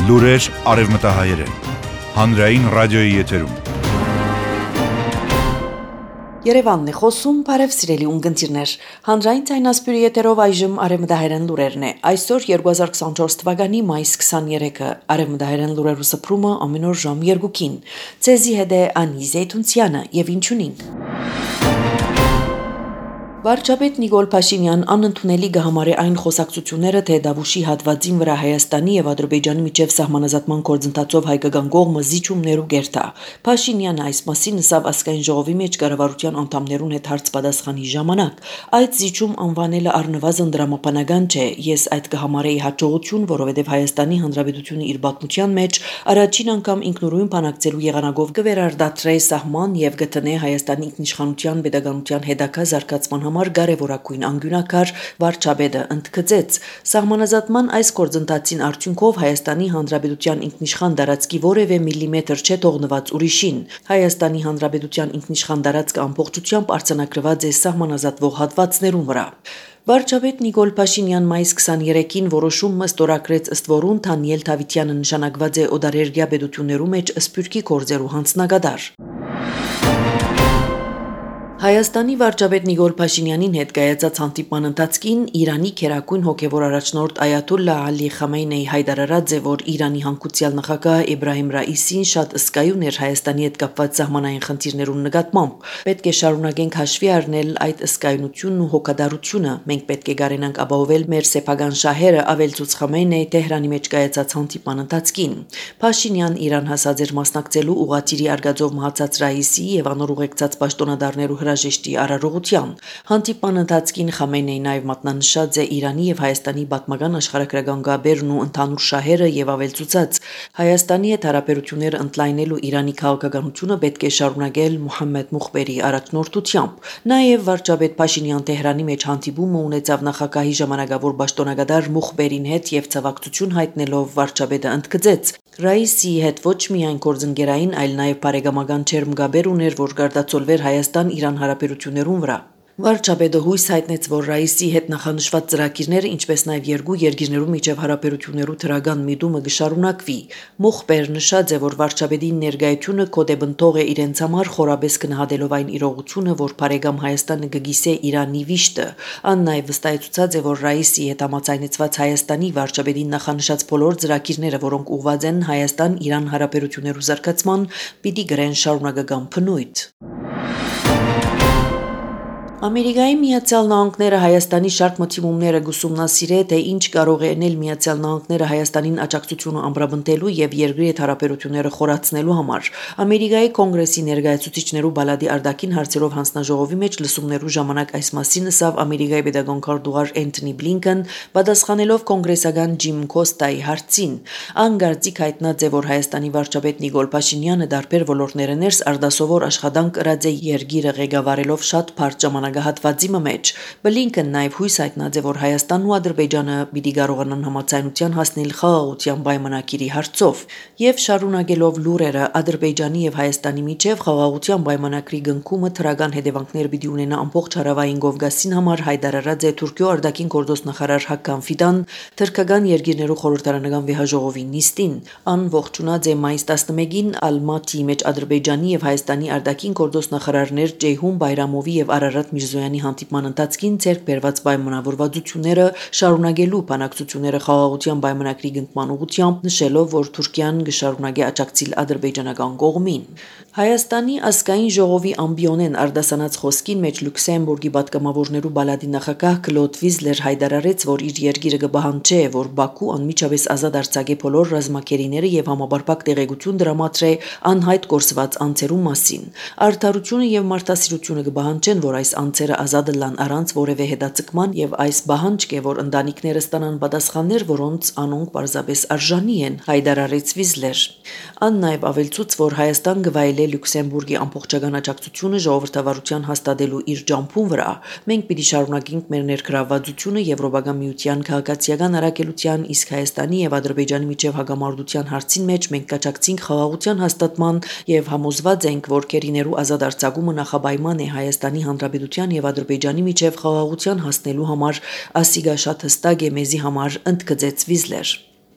Լուրեր արևմտահայերեն, հանրային ռադիոյի եթերում։ Երևանն է խոսում, բարև սիրելի ունկնդիրներ, հանրային ցայնասպյուրի եթերով այժմ արևմտահայերեն լուրերն է, այսօր 2024 թվականի մայիս 23-ը, արևմտահայերեն լուրերու սփռումը ամեն օր ժամ 2-ին, ցեզի հետ է Անի Զեյթունցյանը եւ ինչունինք։ Վարչապետ Նիկոլ Փաշինյան անընդունելի կհամարի այն խոսակցությունները, թե Դավուշի հատվածին վրա Հայաստանի եւ Ադրբեջանի միջև սահմանազատման գործընթացով հայկական կողմը զիջումներու գերտա։ Փաշինյանը այս մասին ասավ ազգային ժողովի մեջ կառավարության անդամներուն հետ հարցպատասխանի ժամանակ։ Այդ զիջում անվանելը առնվազն դրամապանական չէ, ես այդ կհամարեի հաջողություն, որովհետեւ Հայաստանի Հանրապետությունը իր պատմության մեջ առաջին անգամ ինքնուրույն բանակցելու եղանակով կվերարտադրե սահման եւ գտնե Հայաստանի ինքնիշխանության pedagogical հետագա զարգացման կարևորագույն անկյունակար վարչապետը ընդգծեց սահմանազատման այս գործընթացին արդյունքով Հայաստանի Հանրապետության ինքնիշխան տարածքի որևէ միլիմետր չէ թողնված ուրիշին։ Հայաստանի Հանրապետության ինքնիշխան տարածքը ամբողջությամբ արձանագրված է սահմանազատվող հատվածներում վրա։ Վարչապետ Նիկոլ Փաշինյան մայիս 23-ին որոշում ստորագրեց, ըստ որուն Դանիել Դավիթյանը նշանակված է օդարերգյա պետություններու մեջ սփյուռքի գործերու հանձնագետար։ Հայաստանի վարչապետ Նիկոլ Փաշինյանին հետ կայացած հանդիպման ընթացքին Իրանի քերակույն հոգևոր առաջնորդ Այաթոլլահ Ալի Խամեյնեի հայտարարած է, որ Իրանի հանգուցյալ նախագահ Էբրահիմ Ռաիսին շատ ըսկայուն էր Հայաստանի հետ կապված սահմանային խնդիրներուն նկատմամբ։ Պետք է շարունակենք հաշվի առնել այդ ըսկայունությունն ու հոգատարությունը։ Մենք պետք է գարենանք ապահովել մեր սեփական շահերը, ավելցուց Խամեյնեի Թեհրանի մեջ կայացած հանդիպման ընթացքին։ Փաշինյան Իրան հասած էր մասնակցելու ուղղաթիռի արգածով մահացած Ռաիսի եւ անոր ուղեկցած պաշտոնադարներու հրաժեշտի արարողության։ Հանդիպման ընթացքին Խամեյնեին նաև մատնանշած է Իրանի եւ Հայաստանի պատմական աշխարհագրական գաբերն ու ընդհանուր շահերը եւ ավելցուցած Հայաստանի հետ հարաբերությունները ընդլայնելու Իրանի քաղաքականությունը պետք է շարունակել Մուհամմեդ Մուխբերի առաջնորդությամբ։ Նաև վարչապետ Փաշինյան Թեհրանի մեջ հանդիպումը ունեցավ նախագահի ժամանակավոր պաշտոնագետար Մուխբերին հետ եւ ցավակցություն հայտնելով վարչապետը ընդգծեց Ռաիսի հետ ոչ միայն գործընկերային, այլ նաև բարեկամական չերմ գաբեր ուներ, որ գարդացոլվեր Հայաստան-Իրան հարաբերություններուն վրա։ Վարչապետը հույս հայտնեց, որ Ռաիսի հետ նախանշված ծրագիրները, ինչպես նաև երկու երկիրներու միջև հարաբերություններու թրագան միտումը կշարունակվի։ Մուխբեր նշած է, որ վարչապետի ներկայությունը կոդեբնթող է իրենց համար խորաբես գնահատելով այն իրողությունը, որ բարեկամ Հայաստանը կգիսե Իրանի վիշտը։ Ան նաև վստահեցուցած է, որ Ռաիսի հետ համաձայնեցված Հայաստանի վարչապետին նախանշած բոլոր ծրագիրները, որոնք ուղղված են Հայաստան-Իրան հարաբերություններու զարգացման, պիտի գրեն շարունակական բնույթ։ Ամերիկայի Միացյալ Նահանգները Հայաստանի շարք մտիմումները գուսումնասիրե, թե ինչ կարող է անել Միացյալ Նահանգները Հայաստանին աջակցությունը ամրապնդելու եւ երկրի հետ հարաբերությունները խորացնելու համար։ Ամերիկայի կոնգրեսի ներկայացուցիչներու բալադի արտաքին հարցերով հանձնաժողովի մեջ լսումներու ժամանակ այս մասին ասավ Ամերիկայի pedagogical դուղար Էնթոնի Բլինքեն, պատասխանելով կոնգրեսական Ջիմ Կոստայի հարցին։ Անգարձիկ հայտնած է, որ Հայաստանի վարչապետ Նիկոլ Փաշինյանը դարբեր ոլորտները ներս արդասովոր աշխատանք կրած է երկիրը ղեկավարելով շատ բարդ ժամանակահատվածի մեջ։ Բլինքեն նաև հույս հայտնած է, որ Հայաստանն ու Ադրբեջանը պիտի կարողանան համաձայնության հասնել խաղաղության պայմանագիրի հարցով եւ շարունակելով լուրերը Ադրբեջանի եւ Հայաստանի միջև խաղաղության պայմանագրի գնքումը թրագան հետևանքներ պիտի ունենա ամբողջ հարավային Կովկասին համար հայտարարած է Թուրքիո արտաքին գործնախարար Հական Ֆիդան թրքական երկիրներու խորհրդարանական վեհաժողովի նիստին։ Ան ողջունած է մայիս 11-ին Ալմատիի մեջ Ադրբեջանի եւ Հայաստանի արտաքին գործնախարարներ Ջեյհուն Բայրամովի եւ Արարատ Միրզոյանի հանդիպման ընթացքին ցերկ բերված պայմանավորվածությունները շարունակելու բանակցությունները խաղաղության պայմանագրի գնքման ուղղությամբ նշելով, որ Թուրքիան կշարունակի աջակցել ադրբեջանական կողմին։ Հայաստանի ազգային ժողովի ամբիոնեն արդասանած խոսքին մեջ Լյուքսեմբուրգի պատգամավորներու բալադի նախագահ Կլոդ Վիզլեր հայտարարեց, որ իր երկիրը կբահանջի, որ Բաքու անմիջապես ազատ արձակե բոլոր ռազմակերիները եւ համապարփակ տեղեկություն դրամատրե անհայտ կորսված անձերու մասին։ Արդարությունը եւ մարդասիրությունը կբահանջեն, որ այս անձերը ազատ լան առանց որևէ հետաձգման եւ այս բահանջք է, որ ընտանիքները ստանան պատասխաններ, որոնց անոնք պարզապես արժանի են, հայտարարեց Վիզլեր։ Ան նաև ավելցուց, որ Հայաստան գվայելե Լյուքսեմբուրգի ամբողջական աջակցությունը ժողովրդավարության հաստատելու իր ջամփուն վրա։ Մենք պիտի շարունակենք մեր ներգրավվածությունը Եվրոպական միության քաղաքացիական առաքելության, իսկ Հայաստանի եւ Ադրբեջանի միջև հագամարտության հարցին մեջ մենք կաջակցենք խաղաղության հաստատման եւ համոզված ենք, որ քերիներու ազատ արձակումը նախապայման է Հայաստանի Հանրապետության եւ Ադրբեջանի միջև խաղաղության հասնելու համար, ասիգա շատ հստակ է մեզի համար, ընդգծեց Վիզլեր։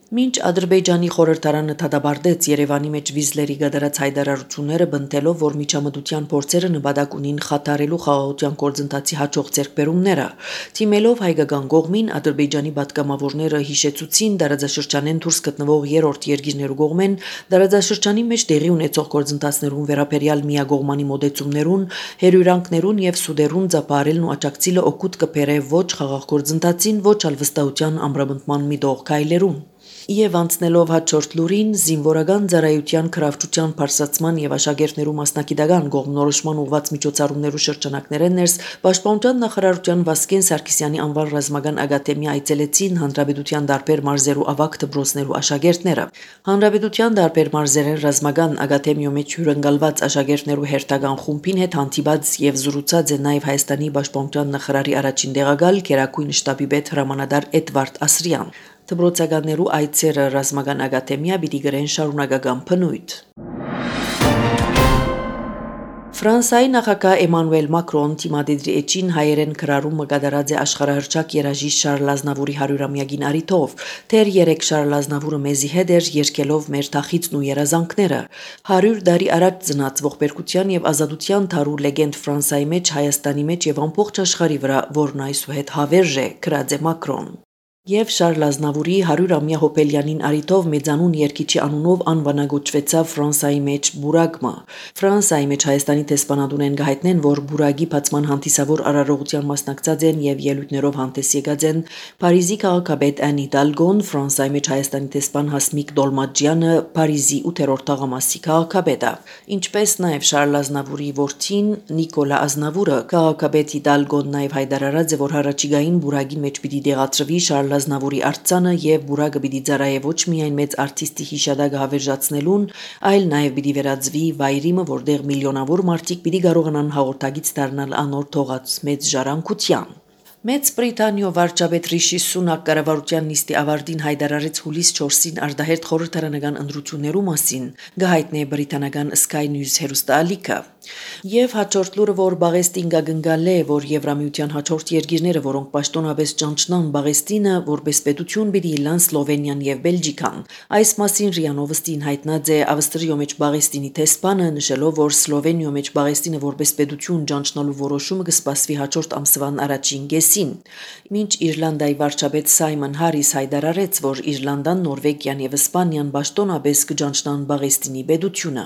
Մինչ Ադրբեջանի խորհրդարանը թադաբարդեց Երևանի մեջ վիզլերի գդարած հայտարարությունները, բնտելով, որ միջամտության փորձերը նպատակ ունին խաթարելու խաղաղության գործընթացի հաջող ձեռքբերումները, թիմելով հայկական կողմին, Ադրբեջանի պատգամավորները հիշեցուցին դարաձաշրջանեն դուրս գտնվող երրորդ երկիրներու կողմեն դարաձաշրջանի մեջ տեղի ունեցող գործընթացներուն վերաբերյալ միակողմանի մոտեցումներուն, հերյուրանքներուն եւ սուդերուն ծափարելն ու աջակցիլը օգուտ կբերե ոչ խաղաղ գործընթացին, ոչ ալ վստահության ամրապնդման միտող քայլերուն։ Եվ անցնելով հաջորդ լուրին, զինվորական ծառայության քրավչության բարձրացման եւ աշակերտներու մասնակիտական կողմնորոշման ուղղված միջոցառումներու շրջանակները ներս Պաշտպանության նախարարության Վասկեն Սարգսյանի անվան ռազմական ակադեմիա այցելեցին Հանրապետության տարբեր մարզերու ավագ դպրոցներու աշակերտները։ Հանրապետության տարբեր մարզերեն ռազմական ակադեմիո մեջ հյուրընկալված աշակերտներու հերթական խումբին հետ հանդիպած եւ զրուցած է նաեւ Հայաստանի Պաշտպանության նախարարի առաջին տեղակալ Գերագույն շտաբի պետ հրամանատար Էդվարդ Ասրյան։ Դպրոցականներու այցերը ռազմական ակադեմիա պիտի գրեն շարունակական բնույթ։ Ֆրանսիայի նախագահ Էմանուել Մակրոն թիմադեդրի էջին հայերեն քրարումը կատարած է աշխարհահռչակ երաժիշտ Շարլ Ազնավուրի 100-ամյակին առիթով, դեռ 3 Շարլ Ազնավուրը մեզի հետ էր երկելով մեր թախիծն ու երազանքները։ 100 տարի առաջ ծնած ողբերգության եւ ազատության թարու լեգենդ Ֆրանսիայի մեջ, Հայաստանի մեջ եւ ամբողջ աշխարհի վրա, որն այսուհետ հավերժ է, գրած է Մակրոն։ Եվ Շարլ Ազնավուրի 100-ամյա հոբելյանին առիթով մեծանուն երգիչի անունով անվանագոչվեցավ Ֆրանսիայի մեջ բուրագը։ Ֆրանսիայի մեջ Հայաստանի դեսպանատունեն գահիտնեն, որ բուրագի բացման հանդիսավոր արարողության մասնակցած են եւ ելույթներով հանդես եկած են Փարիզի քաղաքապետ Ան Հիդալգոն, Ֆրանսիայի մեջ Հայաստանի դեսպան Հասմիկ Դոլմաջյանը, Փարիզի 8-րդ թաղամասի քաղաքապետը, ինչպես նաեւ Շարլ Ազնավուրի որդին Նիկոլա Ազնավուրը։ Քաղաքապետ Հիդալգոն նաեւ հայտարարած է, որ հառաջիկային բուրագի մեջ պիտի դեղացրվի Շարլ Ազնավուրի արձանը եւ բուրագը պիտի ծառայե ոչ միայն մեծ արտիստի հիշադակը հավերժացնելուն, այլ նաեւ պիտի վերածվի վայրիմը, որտեղ միլիոնավոր մարդիկ պիտի կարողանան հաղորդագից դառնալ անոր թողած մեծ ժառանգության։ Մեծ Բրիտանիո վարչապետ Ռիշի Սունակ կառավարության նիստի ավարտին հայտարարեց հուլիս 4-ին արտահերթ խորհրդարանական ընտրություններու մասին, գահիտնե բրիտանական Sky News հեռուստաալիքը։ Եվ հաջորդ լուրը, որ Բաղեստին գագնգալ է, որ Եվրամիության հաջորդ երկիրները, որոնք պաշտոնապես ճանչնան Բաղեստինը, որպես պետություն պիտի լան Սլովենիան եւ Բելգիկան։ Այս մասին ՌԻԱ Նովոստին հայտնած է Ավստրիո մեջ Բաղեստինի տեսփանը, նշելով, որ Սլովենիո մեջ Բաղեստինը որպես պետություն ճանչնալու որոշումը կսպասվի հաջորդ ամսվան առաջին կեսին։ Մինչ Իռլանդիայի վարչապետ Սայմոն Հարիս հայտարարեց, որ Իռլանդան, Նորվեգիան եւ Իսպանիան պաշտոնապես կճանչնան Բաղեստինի պետությունը։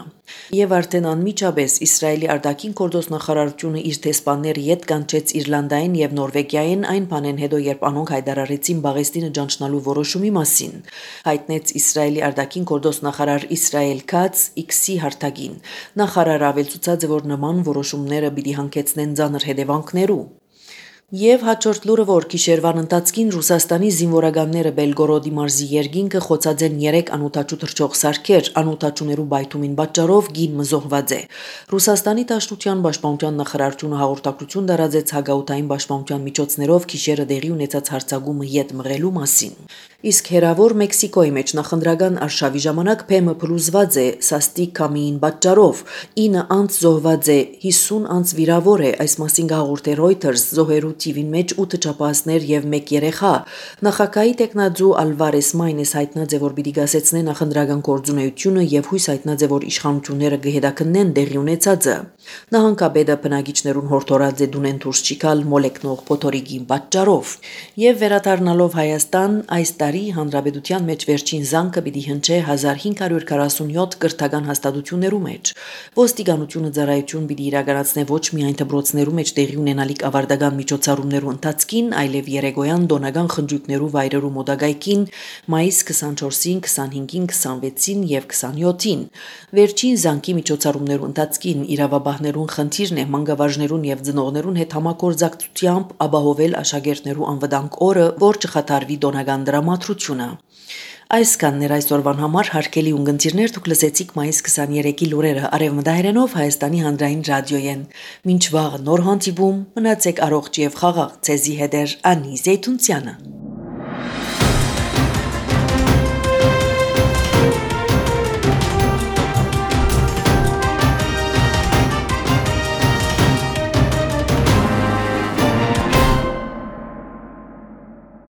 Եվ արդեն անմիջապես Իսրայելի արտաքին գործոս նախարարությունը իր տեսփանները յետ կանչեց Իռլանդային եւ Նորվեգիային այն բանեն հետո, երբ անոնք հայտարարեցին Բաղեստինը ճանչնալու որոշումի մասին, հայտնեց Իսրայելի արտաքին գործոս նախարար Իսրայել Քաց X-ի հարթակին։ Նախարարը ավելցուցած է, որ նման որոշումները պիտի հանգեցնեն ծանր հետևանքներու։ Եվ հաջորդ լուրը, որ գիշերվան ընթացքին Ռուսաստանի զինվորականները Բելգորոդի մարզի երկինքը խոցած են 3 անօթաչու թռչող սարքեր, անօթաչուներու բայթումին պատճառով գին մզոհված է։ Ռուսաստանի Դաշնության Պաշտպանության նախարարությունը հաղորդակցություն տարածեց հագաուտային պաշտպանության միջոցներով գիշերը տեղի ունեցած հարձակումը յետ մղելու մասին։ Իսկ հերավոր Մեքսիկոյի մեջ նախընտրական արշավի ժամանակ ՓՄ փլուզված է սաստիկ քամիին պատճառով, 9 անց զոհված է, 50 անց վիրավոր է, այս մասին հաղորդել Reuters, զոհերու թիվին մեջ 8 չափահասներ եւ 1 երեխա։ Նախագահի տեխնաձու Ալվարես Մայնես հայտնած է, որ պիտի գասեցնեն նախընտրական գործունեությունը եւ հույս հայտնած է, որ իշխանությունները կհետաքննեն տեղի ունեցածը։ Նահանգապետը բնակիչներուն հորդորած է դունեն դուրս չիքալ մոլեկնող փոթորիկի պատճառով։ Եվ վերադառնալով Հայաստան, այս տարի հանրապետության մեջ վերջին զանգը պիտի հնչե 1547 կրթական հաստատություններու մեջ։ Ոստիկանությունը ծառայություն պիտի իրականացնե ոչ միայն դպրոցներու մեջ տեղի ունենալիք ավարտական միջոցառումներու ընթացքին, այլև երեկոյան դոնական խնջույքներու վայրերու մոտակայքին մայիս 24-ին, 25-ին, 26-ին եւ 27-ին։ Վերջին զանգի միջոցառումներու ընթացքին իրավաբաններուն խնդիրն է մանկավարժներուն եւ ծնողներուն հետ համագործակցությամբ ապահովել աշակերտներու անվտանգ օրը, որ չխաթարվի դոնական դրամատրությունը։ Այսքանն այսօրվան համար հարգելի ունգընտիրներ, դուք լսեցիք մայիս 23-ի լուրերը Արևմտահայերենով Հայաստանի հանրային ռադիոյեն։ Մինչ վաղ նոր հանդիպում, մնացեք առողջ եւ խաղաղ, ցեզի հետ Անի Զեյթունցյանը։